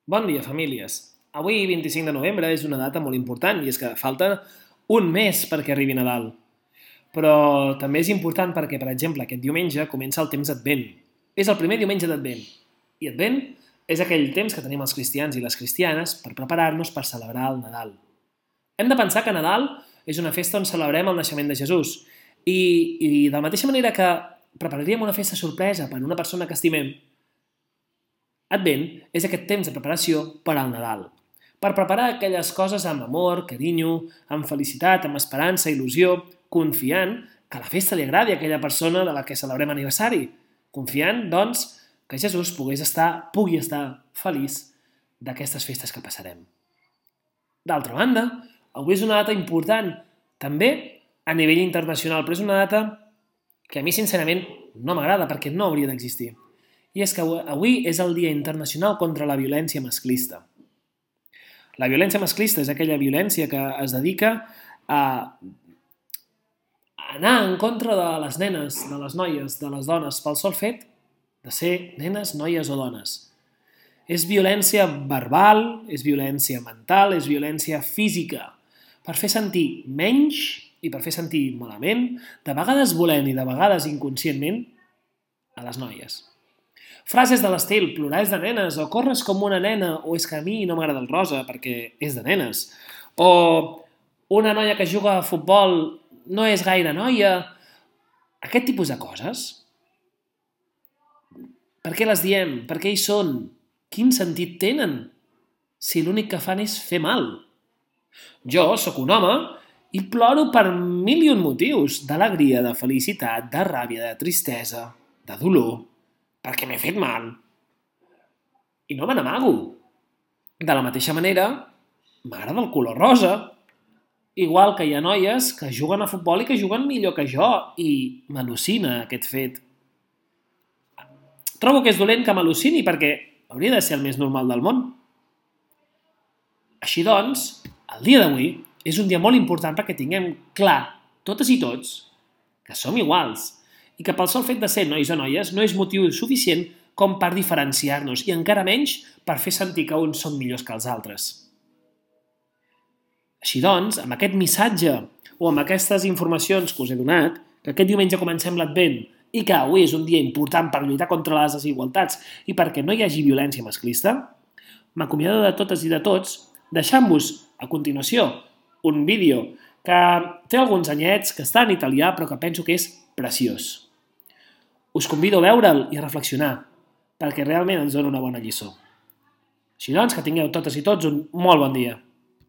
Bon dia, famílies. Avui, 25 de novembre, és una data molt important i és que falta un mes perquè arribi Nadal. Però també és important perquè, per exemple, aquest diumenge comença el temps d'Advent. És el primer diumenge d'Advent. I Advent és aquell temps que tenim els cristians i les cristianes per preparar-nos per celebrar el Nadal. Hem de pensar que Nadal és una festa on celebrem el naixement de Jesús. I de la mateixa manera que prepararíem una festa sorpresa per a una persona que estimem, Advent és aquest temps de preparació per al Nadal, per preparar aquelles coses amb amor, carinyo, amb felicitat, amb esperança, il·lusió, confiant que la festa li agradi a aquella persona de la que celebrem aniversari, confiant, doncs, que Jesús pugui estar feliç d'aquestes festes que passarem. D'altra banda, avui és una data important, també a nivell internacional, però és una data que a mi sincerament no m'agrada perquè no hauria d'existir. I és que avui és el Dia Internacional contra la Violència Masclista. La violència masclista és aquella violència que es dedica a anar en contra de les nenes, de les noies, de les dones, pel sol fet de ser nenes, noies o dones. És violència verbal, és violència mental, és violència física, per fer sentir menys i per fer sentir malament, de vegades volent i de vegades inconscientment, a les noies. Frases de l'estil, plorar és de nenes, o corres com una nena, o és que a mi no m'agrada el rosa perquè és de nenes, o una noia que juga a futbol no és gaire noia. Aquest tipus de coses, per què les diem? Per què hi són? Quin sentit tenen? Si l'únic que fan és fer mal. Jo sóc un home i ploro per mil i un motius, d'alegria, de felicitat, de ràbia, de tristesa, de dolor, perquè m'he fet mal. I no me n'amago. De la mateixa manera, m'agrada el color rosa. Igual que hi ha noies que juguen a futbol i que juguen millor que jo, i m'al·lucina aquest fet. Trobo que és dolent que m'al·lucini perquè hauria de ser el més normal del món. Així doncs, el dia d'avui és un dia molt important perquè tinguem clar, totes i tots, que som iguals i que pel sol fet de ser nois o noies no és motiu suficient com per diferenciar-nos i encara menys per fer sentir que uns són millors que els altres. Així doncs, amb aquest missatge o amb aquestes informacions que us he donat, que aquest diumenge comencem l'Advent i que avui és un dia important per lluitar contra les desigualtats i perquè no hi hagi violència masclista, m'acomiado de totes i de tots deixant-vos a continuació un vídeo que té alguns anyets, que està en italià però que penso que és preciós. Us convido a veure'l i a reflexionar, perquè realment ens dona una bona lliçó. Així doncs, que tingueu totes i tots un molt bon dia.